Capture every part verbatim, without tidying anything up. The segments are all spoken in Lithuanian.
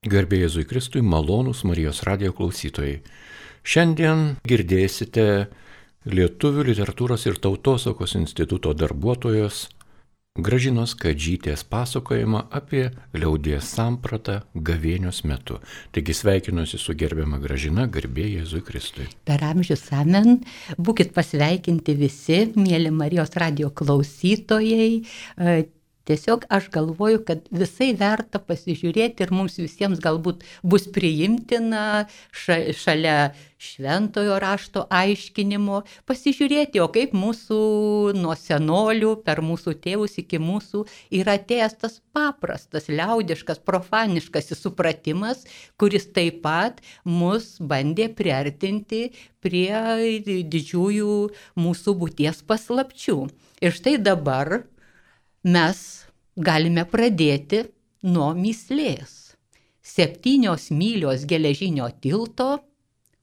Garbė Jėzui Kristui, malonūs Marijos radijo klausytojai. Šiandien girdėsite Lietuvių literatūros ir tautosakos instituto darbuotojos Gražinos Kadžytės pasakojimą apie liaudies sampratą gavėnios metu. Taigi sveikinuosi su gerbiama Gražina, garbė Jėzui Kristui. Per amžius amen, būkit pasveikinti visi, mėly Marijos radijo klausytojai. Tiesiog aš galvoju, kad visai verta pasižiūrėti ir mums visiems galbūt bus priimtina šalia šventojo rašto aiškinimo, pasižiūrėti, o kaip mūsų nuo senolių, per mūsų tėvus iki mūsų yra atėjęs tas paprastas, liaudiškas, profaniškas supratimas, kuris taip pat mus bandė priartinti prie didžiųjų mūsų būties paslapčių. Ir štai dabar mes galime pradėti nuo mįslės. Septynios mylios geležinio tilto,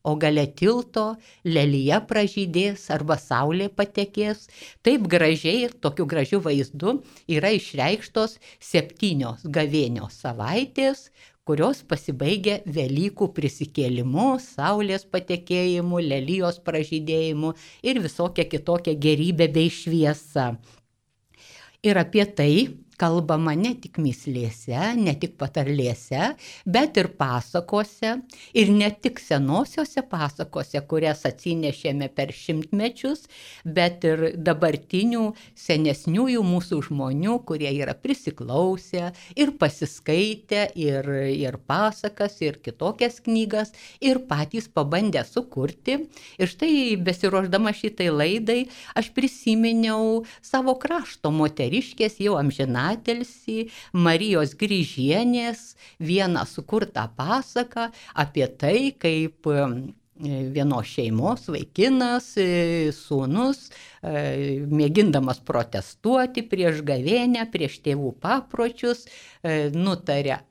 o gale tilto lelija pražydės arba saulė patekės. Taip gražiai ir tokiu gražiu vaizdu yra išreikštos septynios gavėnios savaitės, kurios pasibaigia Velykų prisikėlimu, saulės patekėjimu, lelijos pražydėjimu ir visokia kitokia gerybė bei šviesa. Ir apie tai kalbama ne tik mįslėse, ne tik patarlėse, bet ir pasakose, ir ne tik senosiose pasakose, kurias atsinešėme per šimtmečius, bet ir dabartinių senesniųjų mūsų žmonių, kurie yra prisiklausę ir pasiskaitę ir, ir pasakas, ir kitokias knygas, ir patys pabandę sukurti. Ir štai besiruošdama šitai laidai, aš prisiminiau savo krašto moteriškės jau amžiną atilsį Marijos Grįžienės vieną sukurtą pasaką apie tai, kaip vienos šeimos vaikinas, sūnus, mėgindamas protestuoti prieš gavėnią, prieš tėvų papročius, nutarė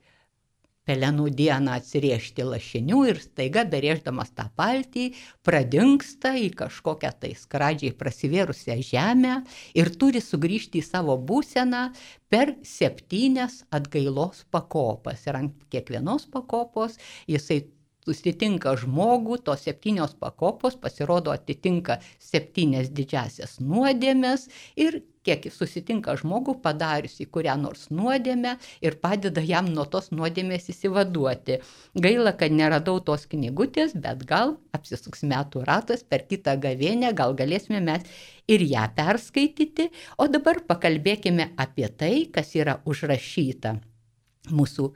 pelenų dieną atsirėžti lašinių ir staiga berėždamas tą paltį pradingsta į kažkokią tai skradžiai prasivėrusią žemę ir turi sugrįžti į savo būseną per septynias atgailos pakopas. Ir ant kiekvienos pakopos jisai susitinka žmogų, tos septynios pakopos pasirodo atitinka septynias didžiasias nuodėmes ir kiek susitinka žmogų padariusi kurią nors nuodėmę ir padeda jam nuo tos nuodėmės įsivaduoti. Gaila, kad neradau tos knygutės, bet gal apsisuks metų ratas per kitą gavėnę, gal galėsime mes ir ją perskaityti. O dabar pakalbėkime apie tai, kas yra užrašyta mūsų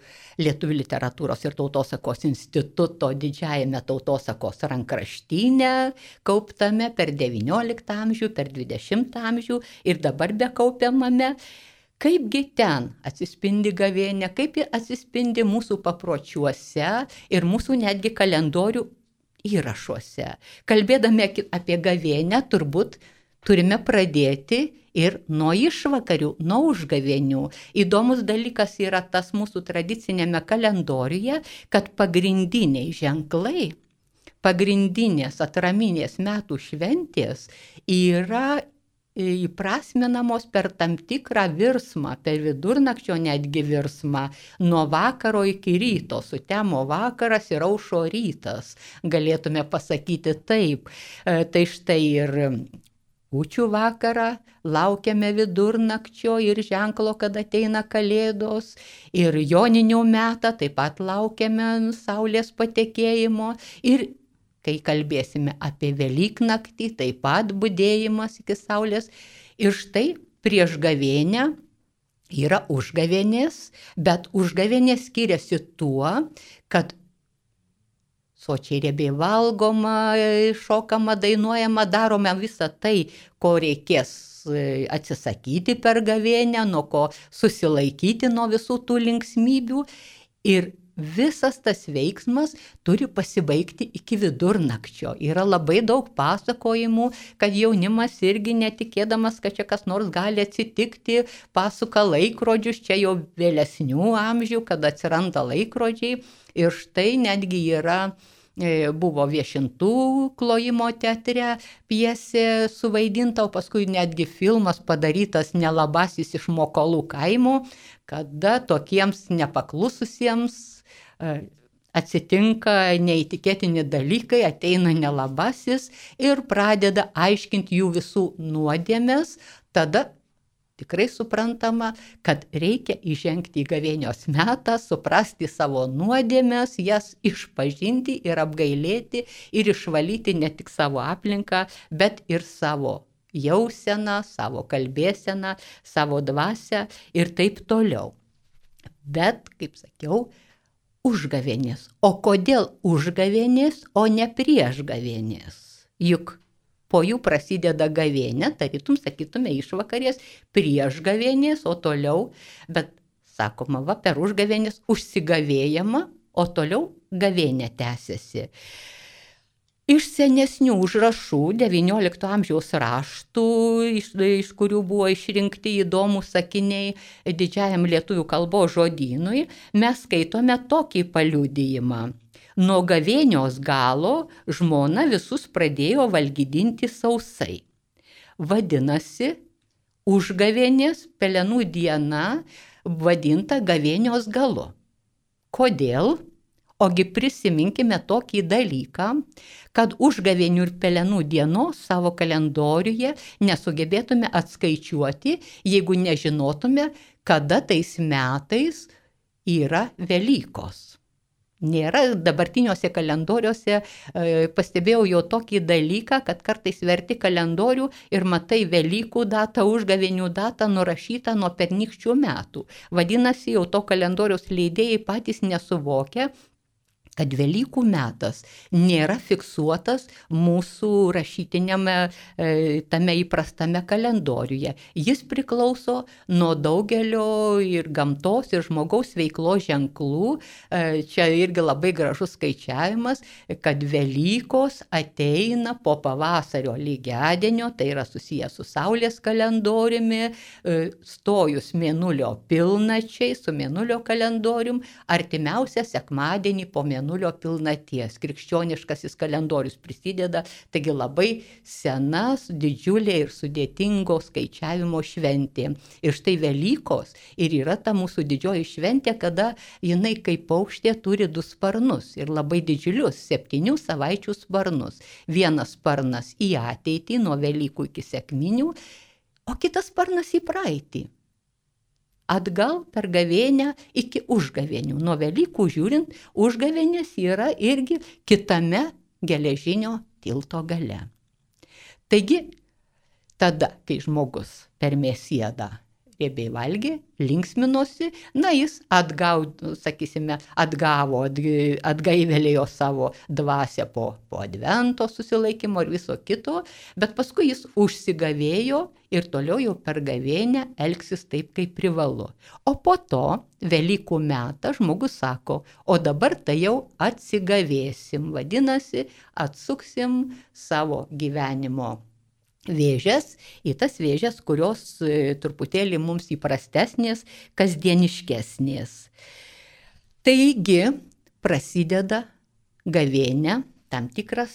Lietuvių literatūros ir tautosakos instituto didžiajame tautosakos rankraštyne, kauptame per devynioliktą amžių, per dvidešimtą amžių ir dabar bekaupiamame. Kaipgi ten atsispindi gavėnia, kaip ji atsispindi mūsų papročiuose ir mūsų netgi kalendorių įrašuose. Kalbėdami apie gavėnią, turbūt turime pradėti ir nuo išvakarių, nuo užgavėnių. Įdomus dalykas yra tas mūsų tradicinėme kalendoriuje, kad pagrindiniai ženklai, pagrindinės atraminės metų šventės yra įprasminamos per tam tikrą virsmą, per vidurnakčio netgi virsmą, nuo vakaro iki ryto, sutemo vakaras ir aušo rytas, galėtume pasakyti taip. Tai štai ir kūčių vakarą laukiame vidurnakčio ir ženklo, kad ateina kalėdos, ir joninių metą taip pat laukiame saulės patekėjimo, ir kai kalbėsime apie Velyknaktį, taip pat budėjimas iki saulės. Ir štai prieš gavėnę yra užgavėnės, bet užgavėnės skiriasi tuo, kad sočiai riebiai valgoma, šokama, dainuojama, darome visą tai, ko reikės atsisakyti per gavėnę, nuo ko susilaikyti nuo visų tų linksmybių. Ir visas tas veiksmas turi pasibaigti iki vidurnakčio. Yra labai daug pasakojimų, kad jaunimas irgi netikėdamas, kad čia kas nors gali atsitikti, pasuka laikrodžius, čia jau vėlesnių amžių, kad atsiranda laikrodžiai. Ir štai netgi yra buvo Viešintų klojimo teatre pjesė suvaidinta, o paskui netgi filmas padarytas Nelabasis iš Mokolų kaimo, kada tokiems nepaklususiems atsitinka neįtikėtini dalykai, ateina nelabasis ir pradeda aiškinti jų visų nuodėmes, tada tikrai suprantama, kad reikia įžengti į gavėnios metą, suprasti savo nuodėmes, jas išpažinti ir apgailėti ir išvalyti ne tik savo aplinką, bet ir savo jauseną, savo kalbėseną, savo dvasią ir taip toliau. Bet, kaip sakiau, užgavėnės. O kodėl užgavėnės, o ne priešgavėnės? Juk po jų prasideda gavėnė, tarytum, sakytume, išvakarės, priešgavėnės, o toliau, bet sakoma, va, per užgavėnės užsigavėjama, o toliau gavėnė tęsiasi. Iš senesnių užrašų, devyniolikto amžiaus raštų, iš, iš kurių buvo išrinkti įdomūs sakiniai didžiajam lietuvių kalbos žodynui, mes skaitome tokį paliudijimą. Nuo gavėnios galo žmona visus pradėjo valgydinti sausai. Vadinasi, užgavėnės pelenų diena vadinta gavėnios galu. Kodėl? Ogi prisiminkime tokį dalyką, kad užgavėnių ir pelenų dienos savo kalendoriuje nesugebėtume atskaičiuoti, jeigu nežinotume, kada tais metais yra Velykos. Nėra dabartiniuose kalendoriuose, e, pastebėjau jau tokį dalyką, kad kartais verti kalendorių ir matai Velykų datą, užgavėnių datą nurašytą nuo pernykščių metų. Vadinasi, jau to kalendoriaus leidėjai patys nesuvokia, kad Velykų metas nėra fiksuotas mūsų rašytiniame, e, tame įprastame kalendoriuje. Jis priklauso nuo daugelio ir gamtos, ir žmogaus veiklos ženklų. E, čia irgi labai gražus skaičiavimas, kad Velykos ateina po pavasario lygiadienio, tai yra susijęs su Saulės kalendoriumi, e, stojus mėnulio pilnačiai, su mėnulio kalendorium, artimiausią sekmadienį po mėnulio nulio pilnaties. Krikščioniškasis kalendorius prisideda, taigi labai senas, didžiulė ir sudėtingo skaičiavimo šventė. Ir štai Velykos ir yra ta mūsų didžioji šventė, kada jinai kaip paukštė turi du sparnus ir labai didžiulius, septynių savaičių sparnus. Vienas sparnas į ateitį nuo Velykų iki sekminių, o kitas sparnas į praeitį. Atgal per gavėnę iki užgavėnių. Nuo Velykų žiūrint, užgavėnės yra irgi kitame geležinio tilto gale. Taigi, tada, kai žmogus per mėsiedą riebiai valgė, linksminosi, na jis atgau, sakysime, atgavo, atgaivelėjo savo dvasią po, po advento susilaikymo ir viso kito, bet paskui jis užsigavėjo ir toliau jau per gavėnę elgsis taip, kaip privalu. O po to, Velykų metą, žmogus sako, o dabar tai jau atsigavėsim, vadinasi, atsuksim savo gyvenimo vėžes į tas vėžes, kurios e, truputėlį mums įprastesnės, kasdieniškesnės. Taigi prasideda gavėnė, tam tikras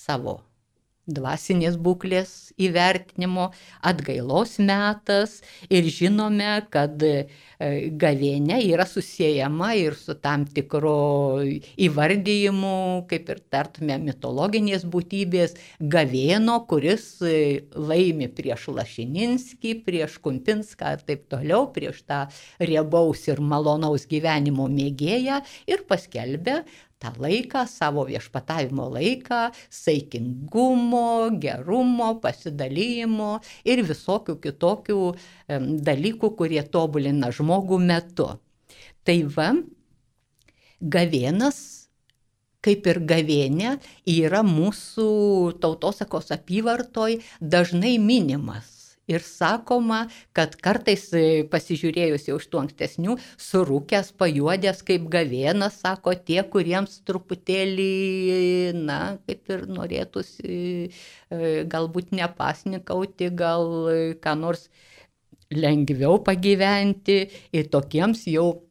savo dvasinės būklės įvertinimo, atgailos metas ir žinome, kad gavėnė yra susiejama ir su tam tikro įvardyjimu, kaip ir tartume mitologinės būtybės, Gavėno, kuris laimi prieš Lašininskį, prieš Kumpinską ir taip toliau, prieš tą riebaus ir malonaus gyvenimo mėgėją ir paskelbia tą laiką, savo viešpatavimo laiką, saikingumo, gerumo, pasidalymo ir visokių kitokių dalykų, kurie tobulina žmogų metu. Tai va, gavėnas, kaip ir gavėnė, yra mūsų tautosakos apyvartoj dažnai minimas. Ir sakoma, kad kartais pasižiūrėjus jau iš tų ankstesnių, surūkęs, pajuodęs kaip gavėnas, sako tie, kuriems truputėlį, na, kaip ir norėtųsi galbūt nepasnikauti, gal ką nors lengviau pagyventi ir tokiems jau,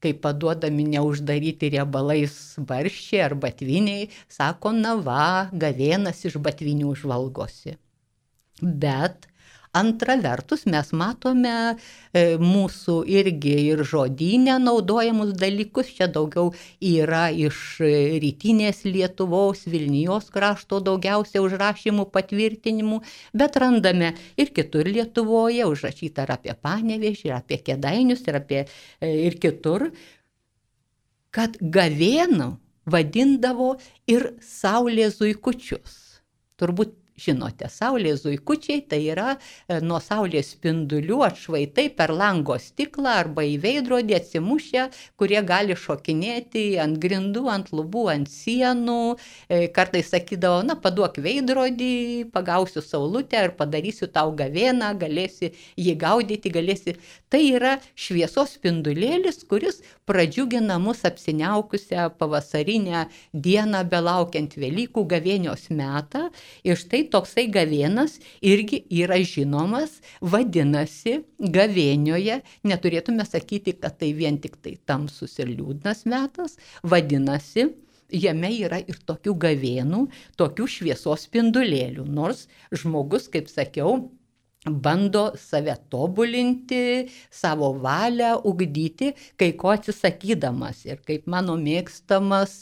kai paduodami neuždaryti riebalais barščiai ar batviniai, sako, na va, gavėnas iš batvinių žvalgosi. Bet Antra vertus, mes matome e, mūsų irgi ir žodyne naudojamus dalykus, čia daugiau yra iš rytinės Lietuvos, Vilnijos krašto daugiausia užrašymų patvirtinimų, bet randame ir kitur Lietuvoje, užrašyta ir apie Panevėžį, ir apie Kėdainius, ir apie e, ir kitur, kad gavėną vadindavo ir saulės zuikučius. Turbūt žinote, saulės zuikučiai tai yra e, nuo saulės spindulių atšvaitai per lango stiklą arba į veidrodį atsimušę, kurie gali šokinėti ant grindų, ant lubų, ant sienų. E, kartais sakydavo, na, paduok veidrodį, pagausiu saulutę ir padarysiu tau gavėną, galėsi jį gaudyti, galėsi. Tai yra šviesos spindulėlis, kuris pradžiugina mus apsiniaukusią pavasarinę dieną, belaukiant Velykų gavėnios metą. Ir štai toksai gavėnas irgi yra žinomas, vadinasi, gavėnioje, neturėtume sakyti, kad tai vien tik tai tamsus ir liūdnas metas, vadinasi, jame yra ir tokių gavėnų, tokių šviesos spindulėlių, nors žmogus, kaip sakiau, bando save tobulinti, savo valią ugdyti, kai ko atsisakydamas. Ir kaip mano mėgstamas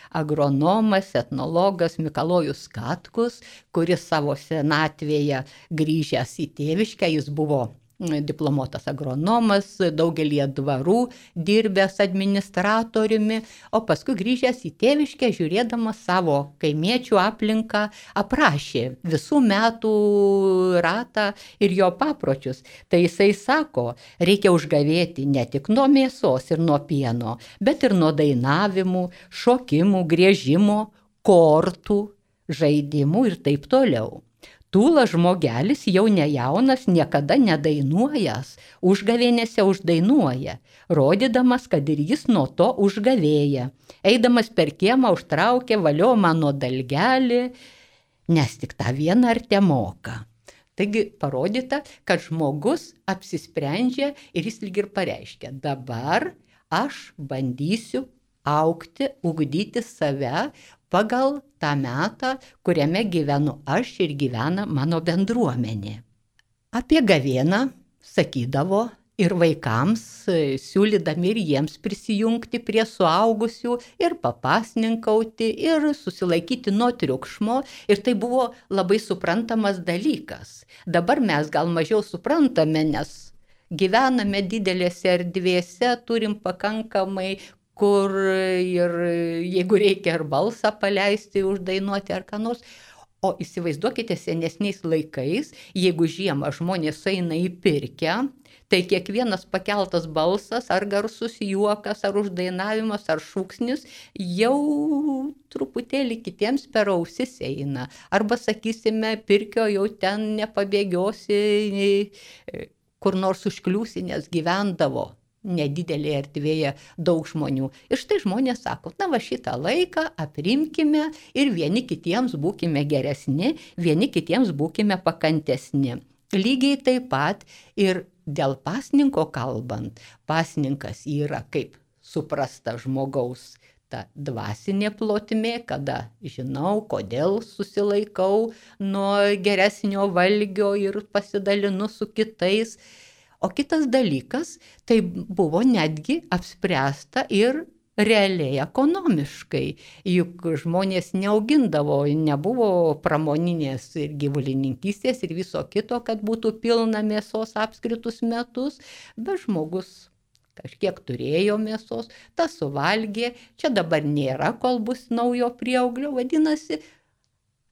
agronomas, etnologas Mikalojus Katkus, kuris savo senatvėje grįžęs į tėviškę, jis buvo diplomuotas agronomas, daugelį dvarų dirbęs administratoriumi, o paskui grįžęs į tėviškę, žiūrėdamas savo kaimiečių aplinką, aprašė visų metų ratą ir jo papročius. Tai jisai sako, reikia užgavėti ne tik nuo mėsos ir nuo pieno, bet ir nuo dainavimų, šokimų, griežimo, kortų, žaidimų ir taip toliau. Tūlas žmogelis jau nejaunas, niekada nedainuojas, užgavėnėse uždainuoja, rodydamas, kad ir jis nuo to užgavėja. Eidamas per kiemą užtraukė valio mano dalgelį, nes tik tą vieną ar te moka. Taigi parodyta, kad žmogus apsisprendžia ir jis lyg ir pareiškia, dabar aš bandysiu augti, ugdyti save pagal tą metą, kuriame gyvenu aš ir gyvena mano bendruomenė. Apie gavėną sakydavo ir vaikams, siūlydami ir jiems prisijungti prie suaugusių ir papasninkauti ir susilaikyti nuo triukšmo. Ir tai buvo labai suprantamas dalykas. Dabar mes gal mažiau suprantame, nes gyvename didelėse erdvėse, turim pakankamai kur ir jeigu reikia ar balsą paleisti, uždainuoti ar ką nors. O įsivaizduokite senesniais laikais, jeigu žiemą žmonės eina į pirkę, tai kiekvienas pakeltas balsas, ar garsus juokas, ar uždainavimas, ar šūksnis, jau truputėlį kitiems per ausis eina. Arba, sakysime, pirkio jau ten nepabėgiosi, kur nors užkliūsi, nes gyvendavo nedidelėje erdvėje daug žmonių. Ir štai žmonės sako, na va šitą laiką aprimkime ir vieni kitiems būkime geresni, vieni kitiems būkime pakantesni. Lygiai taip pat ir dėl pasninko kalbant, pasninkas yra kaip suprasta žmogaus ta dvasinė plotmė, kada žinau, kodėl susilaikau nuo geresnio valgio ir pasidalinu su kitais. O kitas dalykas, tai buvo netgi apspręsta ir realiai ekonomiškai, juk žmonės neaugindavo, nebuvo pramoninės ir gyvulininkystės ir viso kito, kad būtų pilna mėsos apskritus metus, bet žmogus kažkiek turėjo mėsos, tas suvalgė, čia dabar nėra, kol bus naujo prieauglio, vadinasi,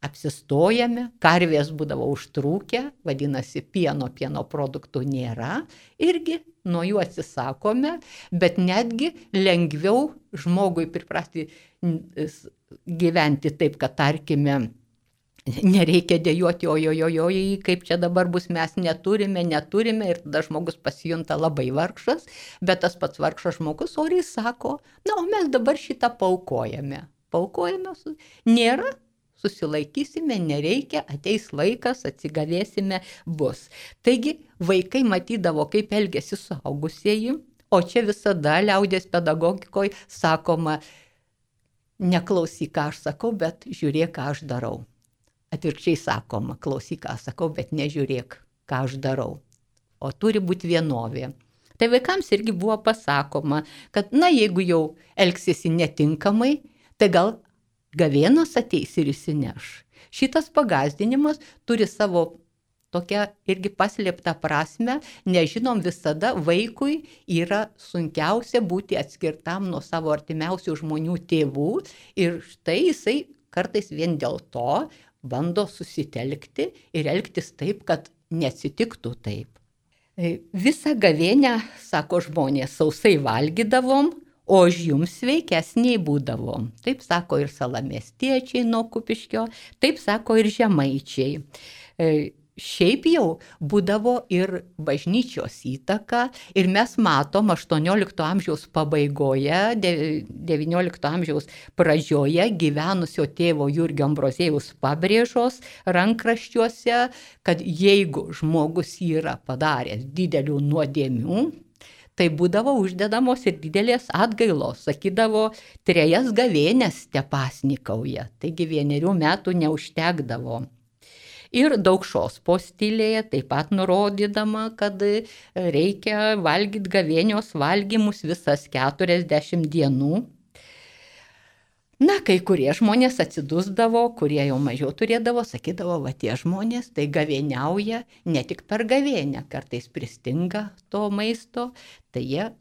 apsistojame, karvės būdavo užtrūkę, vadinasi, pieno, pieno produktų nėra, irgi nuo jų atsisakome, bet netgi lengviau žmogui priprasti gyventi taip, kad tarkime, nereikia dėjuoti, ojojojoj, kaip čia dabar bus, mes neturime, neturime ir tada žmogus pasijunta labai vargšas, bet tas pats vargšas žmogus oriai sako, na, o mes dabar šitą paukojame. Paukojame, nėra, susilaikysime, nereikia, ateis laikas, atsigavėsime, bus. Taigi vaikai matydavo, kaip elgėsi suaugusieji, o čia visada liaudės pedagogikoje sakoma, neklausyk, ką aš sakau, bet žiūrėk, ką aš darau. Atvirkščiai sakoma, klausyk, ką aš sakau, bet nežiūrėk, ką aš darau, o turi būti vienovė. Tai vaikams irgi buvo pasakoma, kad na, jeigu jau elgsiesi netinkamai, tai gal gavėnas ateis ir įsineš. Šitas pagąsdinimas turi savo tokią irgi paslėptą prasme, nežinom, visada vaikui yra sunkiausia būti atskirtam nuo savo artimiausių žmonių tėvų ir štai jisai kartais vien dėl to bando susitelkti ir elgtis taip, kad neatsitiktų taip. Visą gavėnią, sako žmonės, sausai valgydavom, o už jums sveikesniai būdavom. Taip sako ir salamiestiečiai nuo Kupiškio, taip sako ir žemaičiai. Šiaip jau būdavo ir bažnyčios įtaka ir mes matom aštuoniolikto amžiaus pabaigoje, devyniolikto amžiaus pradžioje gyvenusio tėvo Jurgio Ambroziejaus pabrėžos rankraščiuose, kad jeigu žmogus yra padaręs didelių nuodėmių, tai būdavo uždedamos ir didelės atgailos, sakydavo, trejas gavėnes tepasnikauja, taigi vienerių metų neužtekdavo. Ir Daukšos postilėje taip pat nurodydama, kad reikia valgyti gavėnios valgymus visas keturiasdešimt dienų. Na, kai kurie žmonės atsidusdavo, kurie jau mažiau turėdavo, sakydavo, va tie žmonės tai gavėniauja ne tik per gavėnę, kartais pristinga to maisto, tai jie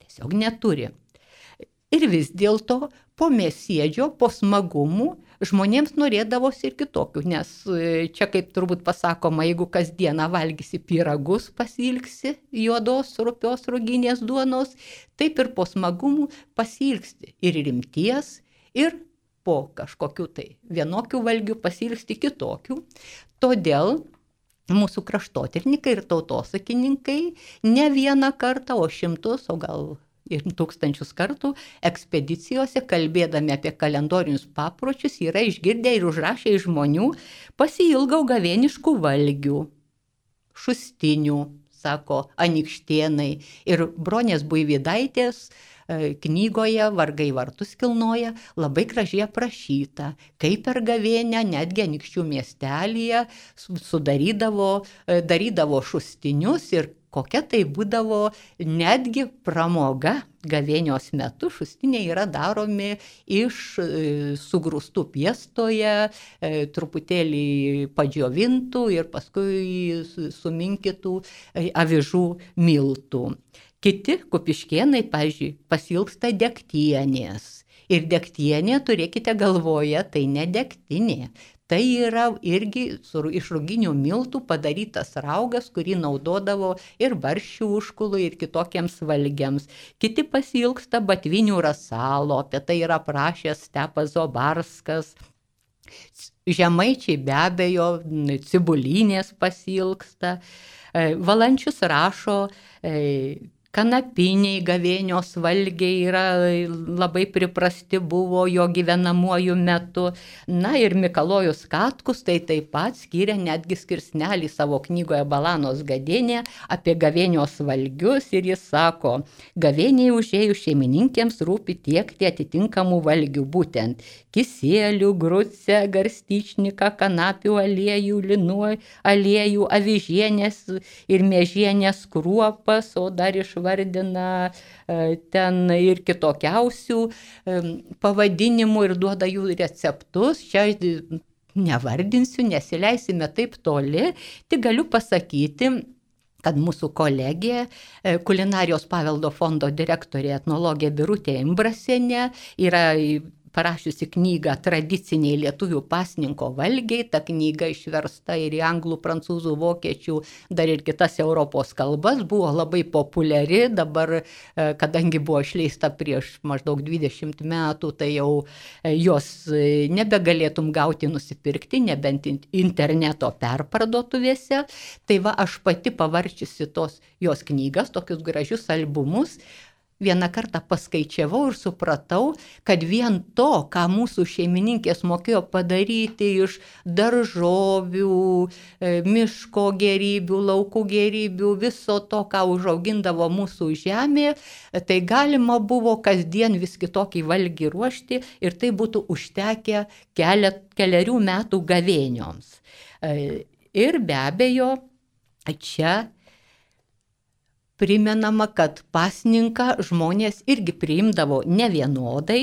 tiesiog neturi. Ir vis dėlto po mėsiedžio, po smagumų, žmonėms norėdavosi ir kitokių, nes čia kaip turbūt pasakoma, jeigu kasdieną valgysi pyragus, pasilgsi juodos, rupios, ruginės duonos, taip ir po smagumų pasilgsti ir rimties, ir po kažkokių tai vienokių valgių pasilgsti kitokių. Todėl mūsų kraštotyrininkai ir tautosakininkai ne vieną kartą, o šimtus, o gal ir tūkstančius kartų ekspedicijose, kalbėdami apie kalendorinius papročius, yra išgirdę ir užrašę iš žmonių, pasiilgau gavėniškų valgių, šustinių, sako Anykštėnai, ir Bronės Buivydaitės knygoje Vargai vartus kilnoja labai gražiai aprašyta, kaip per gavėnę netgi Anykščių miestelyje sudarydavo, darydavo šustinius ir kokia tai būdavo netgi pramoga gavėnios metu. Šustiniai yra daromi iš sugrūstų piestoje, truputėlį padžiovintų ir paskui suminkytų avižų miltų. Kiti kupiškėnai, pavyzdžiui, pasilgsta degtienės. Ir degtienė, turėkite galvoje, tai ne degtinė. Tai yra irgi iš ruginių miltų padarytas raugas, kurį naudodavo ir barščių užkului, ir kitokiems valgiams. Kiti pasilgsta batvinių rasalo, apie tai yra aprašęs Stepas Zobarskas. Žemaičiai be abejo cibulinės pasilgsta. Valančius rašo, kanapiniai gavėnios valgiai yra labai priprasti buvo jo gyvenamuoju metu. Na ir Mikalojus Katkus tai taip pat skyrė netgi skirsnelį savo knygoje Balanos gadienė apie gavėnios valgius ir jis sako, gavėniai užėjus šeimininkėms rūpi tiekti atitinkamų valgių, būtent kisėlių, grucę, garstyčniką, kanapių aliejų, linų aliejų, avižienės ir miežienės kruopas, o dar iš vardina ten ir kitokiausių pavadinimų ir duoda jų receptus. Čia nevardinsiu, nesileisime taip toli, tik galiu pasakyti, kad mūsų kolegė, Kulinarijos paveldo fondo direktorė etnologė Birutė Imbrasienė yra parašiusi knygą Tradiciniai lietuvių pasninko valgiai. Ta knyga išversta ir į anglų, prancūzų, vokiečių, dar ir kitas Europos kalbas, buvo labai populiari. Dabar, kadangi buvo išleista prieš maždaug dvidešimt metų, tai jau jos nebegalėtum gauti nusipirkti, nebent interneto perparduotuvėse. Tai va, aš pati pavarčiusi tos jos knygas, tokius gražius albumus, vieną kartą paskaičiavau ir supratau, kad vien to, ką mūsų šeimininkės mokėjo padaryti iš daržovių, miško gėrybių, laukų gėrybių, viso to, ką užaugindavo mūsų žemė, tai galima buvo kasdien vis kitokį valgį ruošti ir tai būtų užtekę kelia, keliarių metų gavėnioms. Ir be abejo, čia primenama, kad pasninką žmonės irgi priimdavo nevienodai.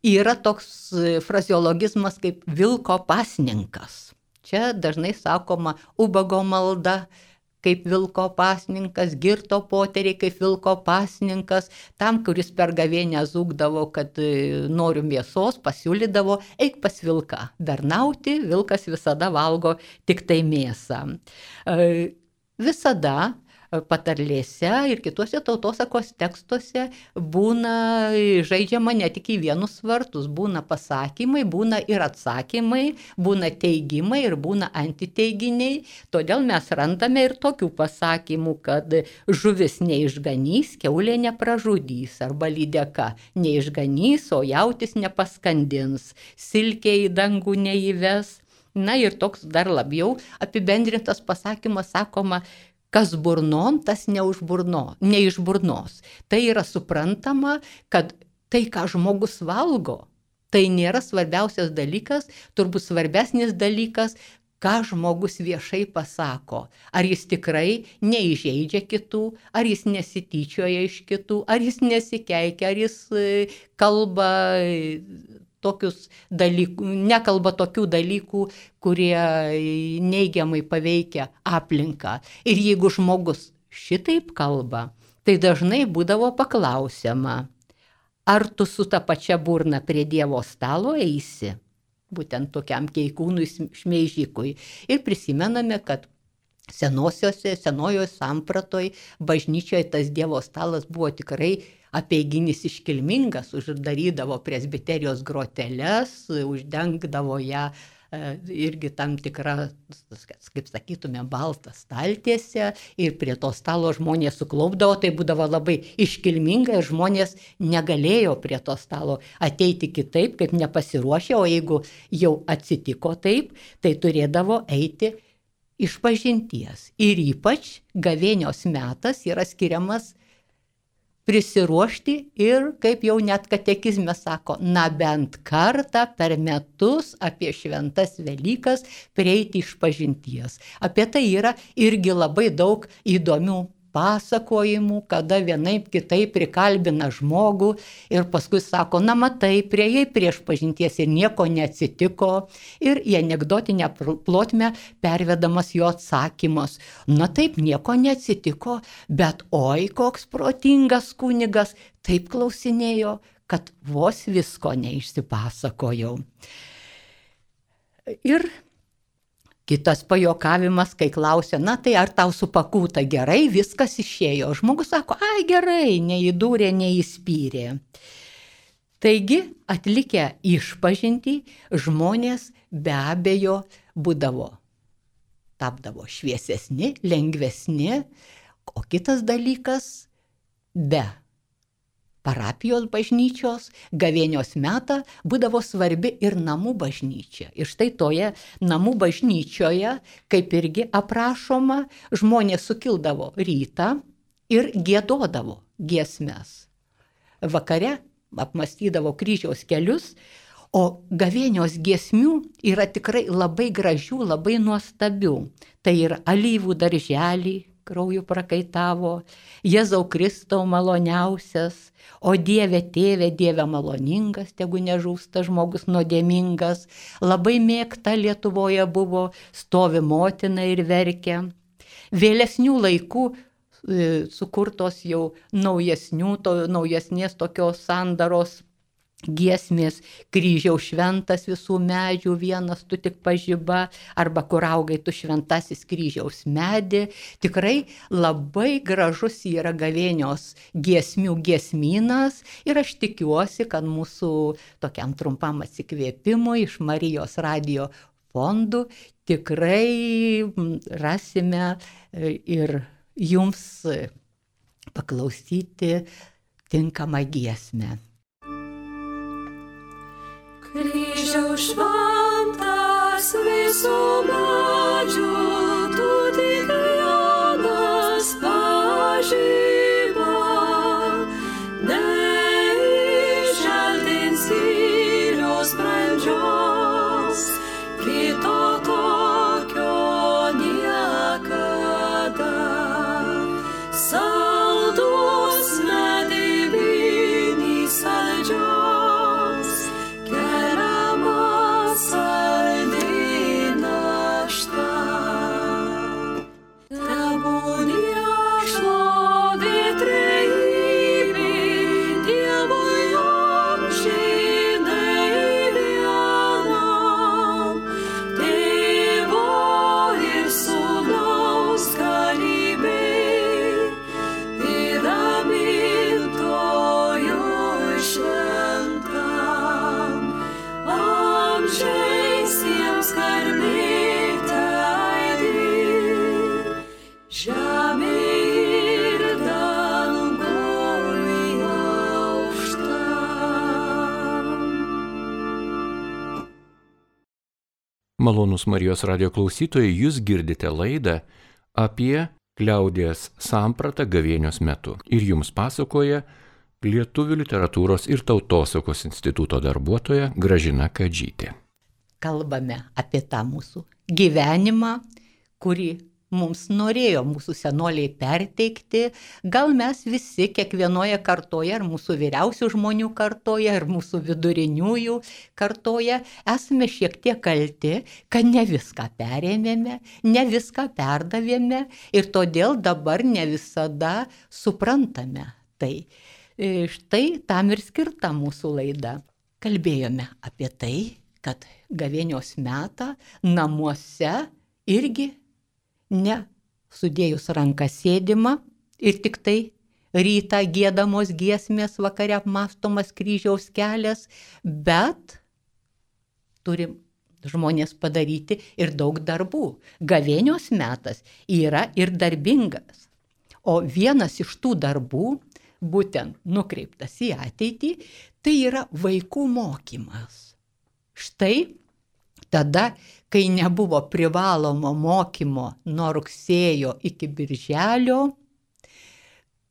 Yra toks frazeologizmas kaip vilko pasninkas. Čia dažnai sakoma ubago malda kaip vilko pasninkas, girto poteriai kaip vilko pasninkas. Tam, kuris per gavėnią zūkdavo, kad noriu mėsos, pasiūlydavo, eik pas vilką bernauti, vilkas visada valgo tik tai mėsą. Visada patarlėse ir kituose tautosakos tekstuose būna žaidžiama ne tik į vienus vartus, būna pasakymai, būna ir atsakymai, būna teigimai ir būna antiteiginiai. Todėl mes randame ir tokių pasakymų, kad žuvis neišganys, kiaulė nepražudys, arba lydeka neišganys, o jautis nepaskandins, silkė į dangų neįves. Na ir toks dar labiau apibendrintas pasakymas sakoma, kas burnon, tas ne už burno, ne iš burnos. Tai yra suprantama, kad tai, ką žmogus valgo, tai nėra svarbiausias dalykas, turbūt svarbesnis dalykas, ką žmogus viešai pasako. Ar jis tikrai neįžeidžia kitų, ar jis nesityčioja iš kitų, ar jis nesikeikia, ar jis kalba tokius dalykų, nekalba tokių dalykų, kurie neigiamai paveikia aplinką. Ir jeigu žmogus šitaip kalba, tai dažnai būdavo paklausiama, ar tu su ta pačia burna prie Dievo stalo eisi, būtent tokiam keikūnui šmeižikui. Ir prisimename, kad senosiose, senojoje sampratoj bažnyčioje tas Dievo stalas buvo tikrai apeiginis iškilmingas, uždarydavo presbiterijos groteles, uždengdavo ją irgi tam tikrą, kaip sakytume, baltą staltiesę ir prie to stalo žmonės suklaupdavo, tai būdavo labai iškilminga ir žmonės negalėjo prie to stalo ateiti kitaip, kaip nepasiruošę, o jeigu jau atsitiko taip, tai turėdavo eiti išpažinties. Ir ypač gavėnios metas yra skiriamas prisiruošti ir, kaip jau net katekizme sako, na bent kartą per metus apie šventas Velykas prieiti išpažinties. Apie tai yra irgi labai daug įdomių pasakojimų, kada vienaip kitaip prikalbina žmogų ir paskui sako, na matai, priejai prieš pažinties ir nieko neatsitiko. Ir į anekdotinę plotmę pervedamas jo atsakymas. Na taip, nieko neatsitiko, bet oi, koks protingas kunigas, taip klausinėjo, kad vos visko neišsipasakojau. Ir kitas pajuokavimas, kai klausia, na tai ar tau supakūta gerai, viskas išėjo. Žmogus sako, ai gerai, neįdūrė, neįspyrė. Taigi, atlikę išpažintį, žmonės be abejo būdavo, tapdavo šviesesni, lengvesni, o kitas dalykas, be parapijos bažnyčios, gavėnios metą būdavo svarbi ir namų bažnyčia. Ir štai toje namų bažnyčioje, kaip irgi aprašoma, žmonės sukildavo rytą ir giedodavo giesmes. Vakare apmąstydavo kryžiaus kelius, o gavėnios giesmių yra tikrai labai gražių, labai nuostabių. Tai yra alyvų darželį, krauju prakaitavo, Jėzau Kristau maloniausias, o Dieve tėve, Dieve maloningas, tegu nežūsta žmogus nuodėmingas, labai mėgta Lietuvoje buvo, stovi motina ir verkia. Vėlesnių laikų e, sukurtos jau naujesnių, to, naujesnės tokios sandaros giesmės, kryžiaus šventas visų medžių, vienas tu tik pažiba, arba kur augai tu šventasis kryžiaus medį. Tikrai labai gražus yra gavėnios giesmių giesmynas ir aš tikiuosi, kad mūsų tokiam trumpam atsikvėpimui iš Marijos radijo fondų tikrai rasime ir jums paklausyti tinkamą giesmę. Kryžiaus šventas visų medžių, tu tik vienas pažiba, neišželdins skyrios brandžios, kito tokio niekas. Malonūs Marijos radio klausytojai, jūs girdite laidą apie liaudies sampratą gavėnios metu. Ir jums pasakoja Lietuvių literatūros ir tautosakos instituto darbuotoja Gražina Kadžytė. Kalbame apie tą mūsų gyvenimą, kurį mums norėjo mūsų senoliai perteikti. Gal mes visi kiekvienoje kartoje, ar mūsų vyriausių žmonių kartoje, ar mūsų viduriniųjų kartoje, esame šiek tiek kalti, kad ne viską perėmėme, ne viską perdavėme ir todėl dabar ne visada suprantame tai. Štai tam ir skirta mūsų laida. Kalbėjome apie tai, kad gavėnios metą namuose irgi ne sudėjus ranką sėdima ir tik tai rytą giedamos giesmės, vakare apmąstomas kryžiaus kelias, bet turim žmonės padaryti ir daug darbų. Gavėnios metas yra ir darbingas, o vienas iš tų darbų, būtent nukreiptas į ateitį, tai yra vaikų mokymas. Štai tada, kai nebuvo privalomo mokymo nuo rugsėjo iki birželio,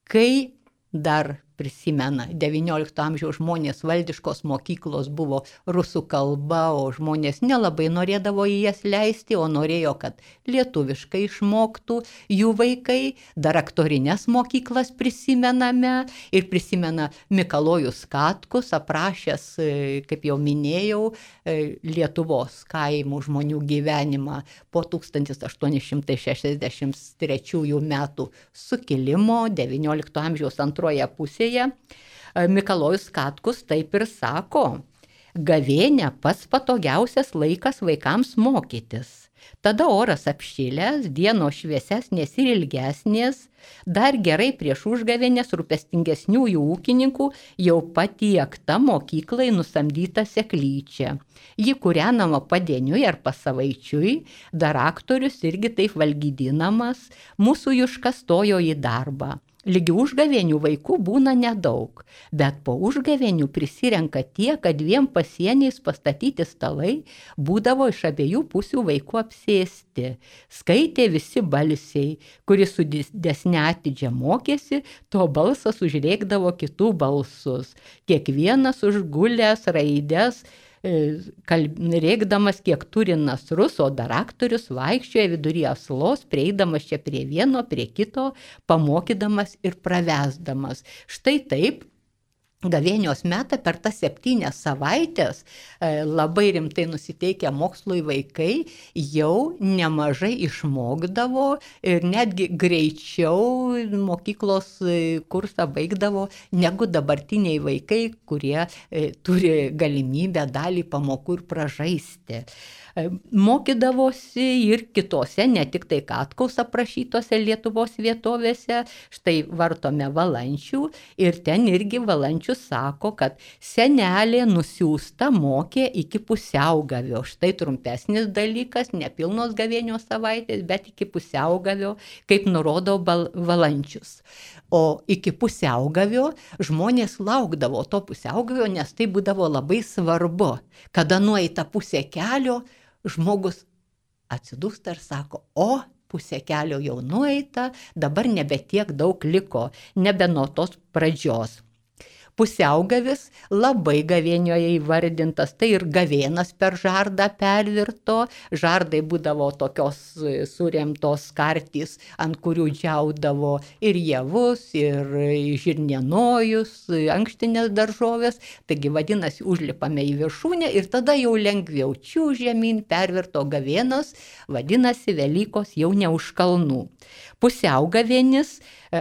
kai dar prisimena devyniolikto amžiaus žmonės, valdiškos mokyklos buvo rusų kalba, o žmonės nelabai norėdavo į jas leisti, o norėjo, kad lietuviškai išmoktų jų vaikai. Dar aktorines mokyklas prisimename ir prisimena Mikalojus Katkus, aprašęs, kaip jau minėjau, Lietuvos kaimų žmonių gyvenimą po tūkstantis aštuoni šimtai šešiasdešimt trečiųjų metų sukilimo devyniolikto amžiaus antroje pusėje. Mikalojus Katkus taip ir sako: gavėnia pats patogiausias laikas vaikams mokytis. Tada oras apšilęs, dienos šviesesnės ir ilgesnės, dar gerai prieš užgavėnės rūpestingesniųjų ūkininkų jau patiekta mokyklai nusamdyta seklyčia. Ji kūrenama padieniui ar pasavaičiui, dar aktorius irgi taip valgydinamas, mūsų Juška stojo į darbą. Lygi užgavėnių vaikų būna nedaug, bet po užgavėnių prisirenka tie, kad dviem pasieniais pastatyti stalai būdavo iš abiejų pusių vaikų apsėsti. Skaitė visi balsiai, kuris su didesne atidžia mokėsi, to balsas užrėkdavo kitų balsus. Kiekvienas užgulęs raides, rėkdamas kiek turi nasrus, o dar aktorius vaikščioja vidury aslos, prieidamas čia prie vieno, prie kito, pamokydamas ir pravesdamas. Štai taip gavėnios metą per tas septynias savaitės labai rimtai nusiteikę mokslui vaikai jau nemažai išmokdavo ir netgi greičiau mokyklos kursą baigdavo negu dabartiniai vaikai, kurie turi galimybę dalį pamokų ir pražaisti. Mokydavosi ir kitose, ne tik tai Katkaus aprašytose Lietuvos vietovėse. Štai vartome Valančių ir ten irgi Valančius sako, kad senelė nusiųsta mokė iki pusiaugavio. Štai trumpesnis dalykas, nepilnos gavėnios savaitės, bet iki pusiaugavio, kaip nurodo Valančius. O iki pusiaugavio žmonės laukdavo to pusiaugavio, nes tai būdavo labai svarbu. Kada nueita pusė kelio, žmogus atsidūsta ir sako: o, pusė kelio jau nueita, dabar nebe tiek daug liko, nebe nuo tos pradžios. Pusiaugavis labai gavėnioje įvardintas, tai ir gavėnas per žardą pervirto. Žardai būdavo tokios suremtos kartys, ant kurių džiaudavo ir javus, ir žirnienojus, ankštinės daržovės. Taigi vadinasi, užlipame į viršūnę ir tada jau lengviau čiūžemyn pervirto gavėnas, vadinasi, Velykos jau ne už kalnų. Pusiaugavėnis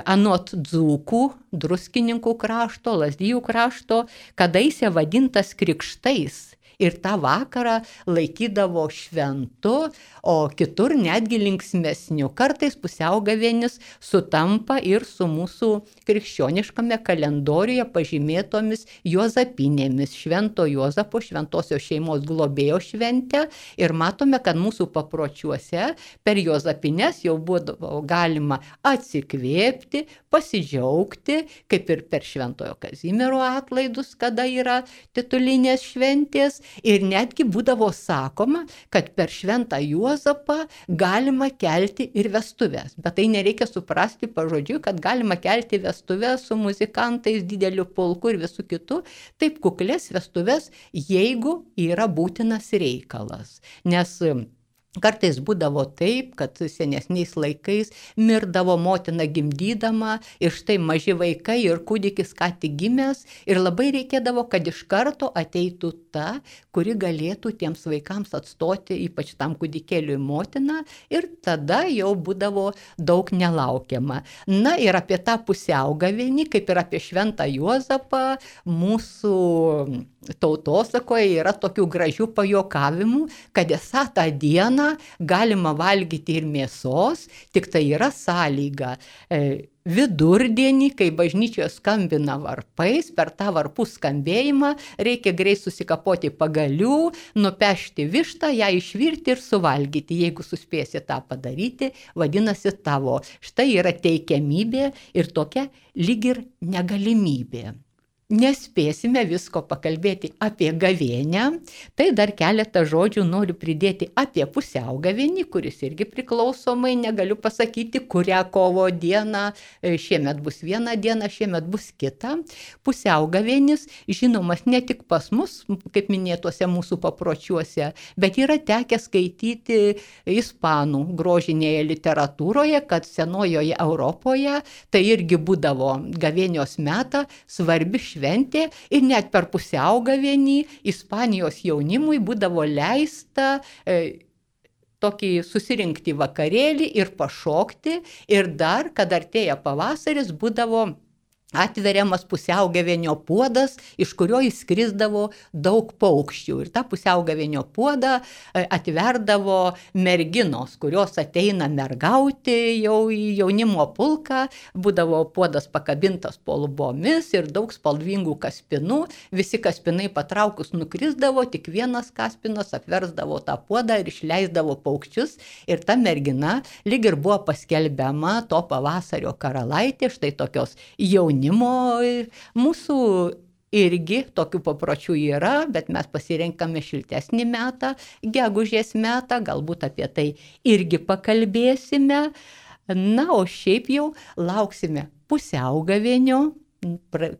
anot dzūkų, druskininkų krašto, Lazdijų krašto, kadaise vadintas krikštais. Ir tą vakarą laikydavo šventu, o kitur netgi linksmesniu. Kartais pusiaugavėnis sutampa ir su mūsų krikščioniškame kalendoriuje pažymėtomis juozapinėmis, Švento Juozapo, šventosios šeimos globėjo šventę. Ir matome, kad mūsų papročiuose per juozapines jau buvo galima atsikvėpti, pasidžiaugti, kaip ir per Šventojo Kazimiero atlaidus, kada yra titulinės šventės. vestuvės ir netgi būdavo sakoma, kad per Šventą Juozapą galima kelti ir vestuvės. Bet tai nereikia suprasti pažodžiui, kad galima kelti vestuvės su muzikantais, dideliu pulku ir visų kitų. Taip kuklės vestuvės, jeigu yra būtinas reikalas. Nes kartais būdavo taip, kad senesniais laikais mirdavo motina gimdydama ir štai maži vaikai ir kūdikis ką tik gimęs ir labai reikėdavo, kad iš karto ateitų ta, kuri galėtų tiems vaikams atstoti, ypač tam kūdikėliui motiną, ir tada jau būdavo daug nelaukiama. Na ir apie tą pusiaugavėnį, kaip ir apie Šventą Juozapą, mūsų tautosakoje yra tokių gražių pajokavimų, kad esą tą dieną galima valgyti ir mėsos, tik tai yra sąlyga. E, vidurdienį, kai bažnyčioje skambina varpais, per tą varpų skambėjimą reikia greit susikapoti pagalių, nupešti vištą, ją išvirti ir suvalgyti. Jeigu suspėsi tą padaryti, vadinasi tavo. Štai yra teikiamybė ir tokia lyg ir negalimybė. Nespėsime visko pakalbėti apie gavėnią, tai dar keletą žodžių noriu pridėti apie pusiaugavėnį, kuris irgi priklausomai, negaliu pasakyti, kurią kovo dieną, šiemet bus viena diena, šiemet bus kita. Pusiaugavėnis žinomas ne tik pas mus, kaip minėtuose mūsų papročiuose, bet yra tekę skaityti ispanų grožinėje literatūroje, kad senojoje Europoje tai irgi būdavo gavėnios metą svarbi šventė. Šventė ir net per pusiaugavėnį Ispanijos jaunimui būdavo leista e, tokį susirinkti vakarėlį ir pašokti ir dar, kad artėja pavasaris, būdavo atveriamas pusiaugavėnio puodas, iš kurio įskrisdavo daug paukščių. Ir tą pusiaugavėnio puodą atverdavo merginos, kurios ateina mergauti jau į jaunimo pulką. Būdavo puodas pakabintas po lubomis ir daug spalvingų kaspinų. Visi kaspinai patraukus nukrisdavo, tik vienas kaspinas apversdavo tą puodą ir išleisdavo paukščius. Ir ta mergina lyg ir buvo paskelbiama to pavasario karalaitė, štai tokios jaunimo. Mūsų irgi tokių papročių yra, bet mes pasirenkame šiltesnį metą, gegužės metą, galbūt apie tai irgi pakalbėsime. Na, o šiaip jau lauksime pusiaugavėnio,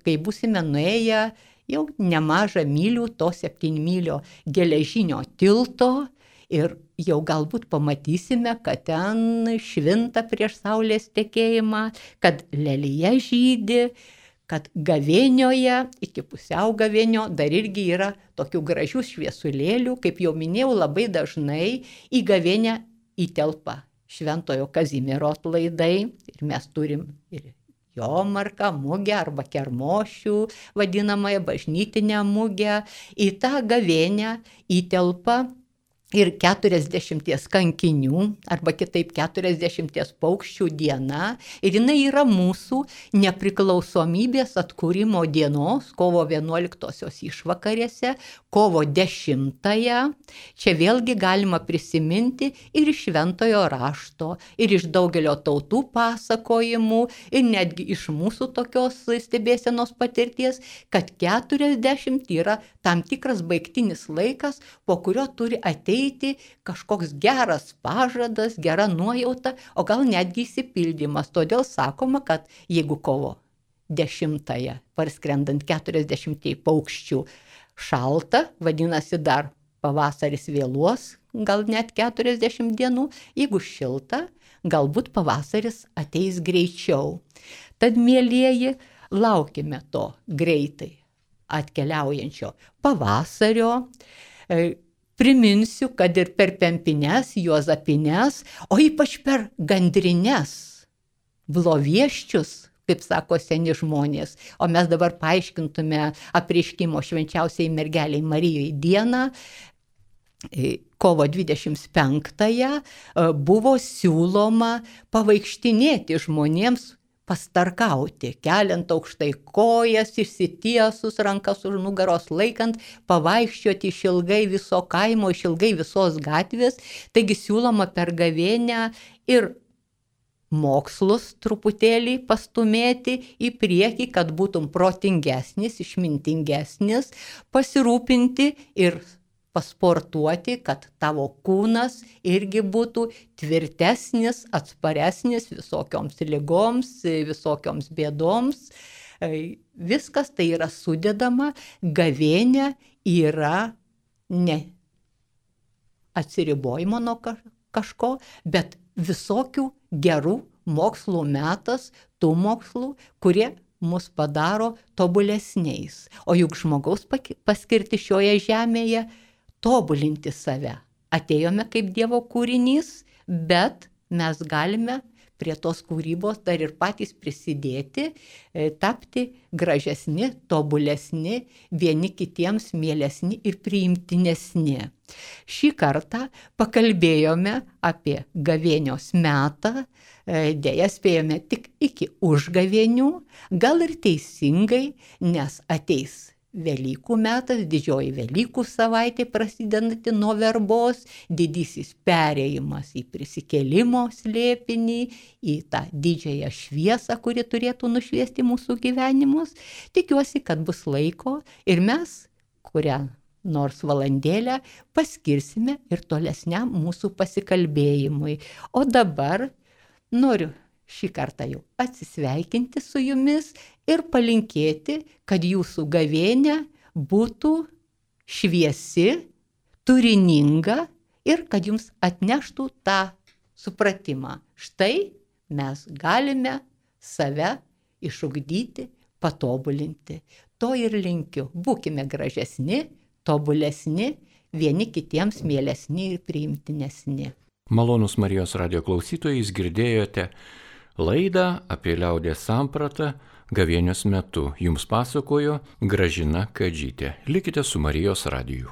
kai būsime nuėję jau nemažą mylių to septynmylio geležinio tilto. Ir jau galbūt pamatysime, kad ten švinta prieš saulės tekėjimą, kad lelija žydi, kad gavėnioje, iki pusiaugavėnio dar irgi yra tokių gražių šviesulėlių, kaip jau minėjau, labai dažnai į gavėnią įtelpa Šventojo Kazimiero atlaidai ir mes turim ir jomarką, mugę arba kermošių, vadinamąją bažnytinę mugę. Į tą gavėnią įtelpa ir keturiasdešimties kankinių, arba kitaip keturiasdešimties paukščių diena. Ir jinai yra mūsų nepriklausomybės atkūrimo dienos, kovo vienuoliktosios išvakarėse, kovo dešimtąją. Čia vėlgi galima prisiminti ir iš šventojo rašto, ir iš daugelio tautų pasakojimų, ir netgi iš mūsų tokios stebėsenos patirties, kad keturiasdešimt yra tam tikras baigtinis laikas, po kurio turi ateiti kažkoks geras pažadas, gera nuojauta, o gal netgi įsipildymas. Todėl sakoma, kad jeigu kovo dešimtąją parskrendant keturiasdešimčiai paukščių šalta, vadinasi dar pavasaris vėluos, gal net keturiasdešimt dienų, jeigu šilta, galbūt pavasaris ateis greičiau. Tad, mielieji, laukime to greitai atkeliaujančio pavasario. Priminsiu, kad ir per pempines, juozapines, o ypač per gandrines, blovieščius, kaip sako seni žmonės, o mes dabar paaiškintume apreiškimo švenčiausiai mergeliai Marijai dieną, kovo dvidešimt penktąją buvo siūloma pavaikštinėti žmonėms, pastarkauti, keliant aukštai kojas, išsitiesus, rankas už nugaros laikant, pavaikščioti išilgai viso kaimo, išilgai visos gatvės. Taigi siūloma per gavėnią ir mokslus truputėlį pastumėti į priekį, kad būtum protingesnis, išmintingesnis, pasirūpinti ir pasportuoti, kad tavo kūnas irgi būtų tvirtesnis, atsparesnis visokioms ligoms, visokioms bėdoms. Viskas tai yra sudedama, gavėnia yra ne atsiribojimo nuo kažko, bet visokių gerų mokslų metas, tų mokslų, kurie mus padaro tobulesniais. O juk žmogaus paskirti šioje žemėje tobulinti save. Atėjome kaip Dievo kūrinys, bet mes galime prie tos kūrybos dar ir patys prisidėti, tapti gražesni, tobulesni, vieni kitiems mielesni ir priimtinesni. Šį kartą pakalbėjome apie gavėnios metą, dėja spėjome tik iki užgavėnių, gal ir teisingai, nes ateis Velykų metas, didžioji Velykų savaitė prasidedanti nuo verbos, didysis perėjimas į prisikėlimo slėpinį, į tą didžiąją šviesą, kuri turėtų nušviesti mūsų gyvenimus. Tikiuosi, kad bus laiko ir mes, kurią nors valandėlę, paskirsime ir tolesniam mūsų pasikalbėjimui. O dabar noriu šį kartą jau atsisveikinti su jumis ir palinkėti, kad jūsų gavėnia būtų šviesi, turininga ir kad jums atneštų tą supratimą. Štai mes galime save išugdyti, patobulinti. To ir linkiu. Būkime gražesni, tobulesni, vieni kitiems mielesni ir priimtinesni. Malonūs Marijos radijo klausytojai, jūs girdėjote laidą apie liaudies sampratą gavėnios metu. Jums pasakojo Gražina Kadžytė. Likite su Marijos radiju.